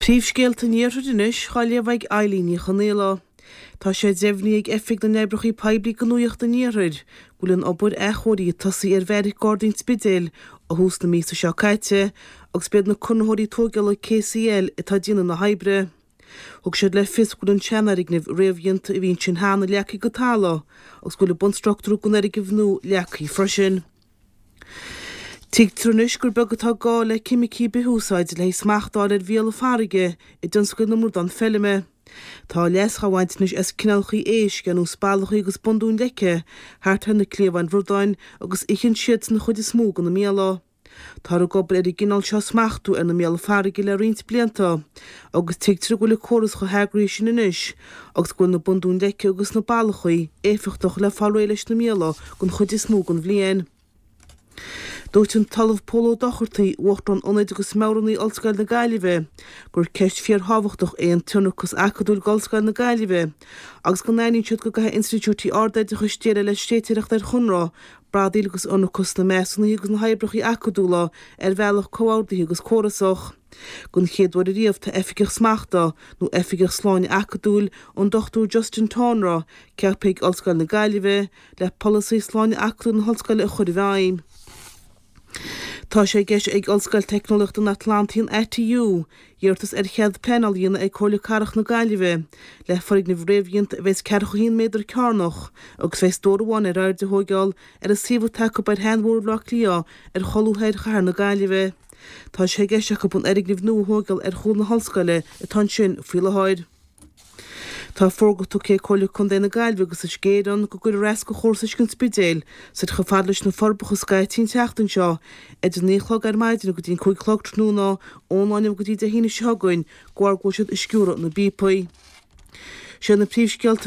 Príomhscéalta an Iarthair anois á léamh ag Eilín Ní Chonaola. Tá sé deimhnithe ag Oifig na nOibreacha Poiblí Gnóthaíochta an Iarthair go bhfuil an obair athchóirithe tosaithe ar Bheairic Gardaí an Spidéil ó thús na míosa seo caite agus b'iad na conraitheoirí tóigeála KCL atá ag déanamh na hoibre. Thug siad le fios go bhfuil an seanfhoirgneamh réamhdhéanta a bhí ansin cheana leagtha go talamh agus go bhfuil an bunstruchtúr den fhoirgneamh nua leagtha freisin. Tuigtear anois gur beag atá gá le ceimicí bith-úsáide le haghaidh smacht a fháil ar mhíola farraige i dtionscal na mbradán feilme. Tá leas á bhaint anois as cineálacha éisc ar nós ballachaí agus bundúin leice thart ar na cliabháin bhradáin agus itheann siadsan an chuid is mó de na míola. Táthar ag obair ar an gcineál seo smachtú ar na míola farraige le roinnt blianta agus tuigtear go bhfuil an córas chomh heagraithe sin anois agus go bhfuil na bundúin leice agus na ballachaí éifeachtach le fáil réidh leis na míola don chuid is mó den bhliain. Dúirt an tOllamh Pól Ó Dochartaigh, Uachtarán Ionaid agus Meabhránaí Ollscoil na Gaillimhe, gur ceist fíorthábhachtach é an t-ionracas acadúil d'Ollscoil na Gaillimhe agus go n-aithníonn siad go gcaithfidh institiúidí ardoideachais déileáil le tréititheoireacht ar chonradh, bradaíl agus ionracas sna measúnuithe agus na hoibreacha acadúla ar bhealach comhordaithe agus córasach. Don chéad uair ariamh tá Oifigeach Smachta, nó Oifigeach Sláine Acadúil, an Dr Justin Tonra, ceaptha ag Ollscoil na Gaillimhe le polasaí sláine acadúil na hollscoile a chur i bhfeidhm. Tá sé i gceist ag Ollscoil Teicneolaíochta an Atlantaigh, an ATU, iarratas ar chead pleanála a dhéanamh ag Comhairle Cathrach na Gaillimhe le foirgneamh réamhdhéanta a bheas 41 méadar cearnach agus a bheas stór amháin ar airde a thóigeáil ar an suíomh atá acu ar Shean-Bhóthar Bhaile Átha Cliath ar cholbha thoir chathair na Gaillimhe. Tá sé i gceist acu an fhoirgneamh nua a thóigeáil ar chúl na hollscoile atá ansin faoi láthair. Tá fógra tugtha ag Comhairle Contae na Gaillimhe agus Uisce Éireann go gcuirfear as do chóras uisce an Spidéil soir chomh fada leis na Forbacha scaití an tseachtain seo idir 9 a chlog ar maidin go dtí an 5 a chlog tráthnóna ón lá inniu go dtí Dé hAoine seo chugainn de bharr go bhfuil siad ag sciúradh na bpíopaí. Sin na príomhscéalta.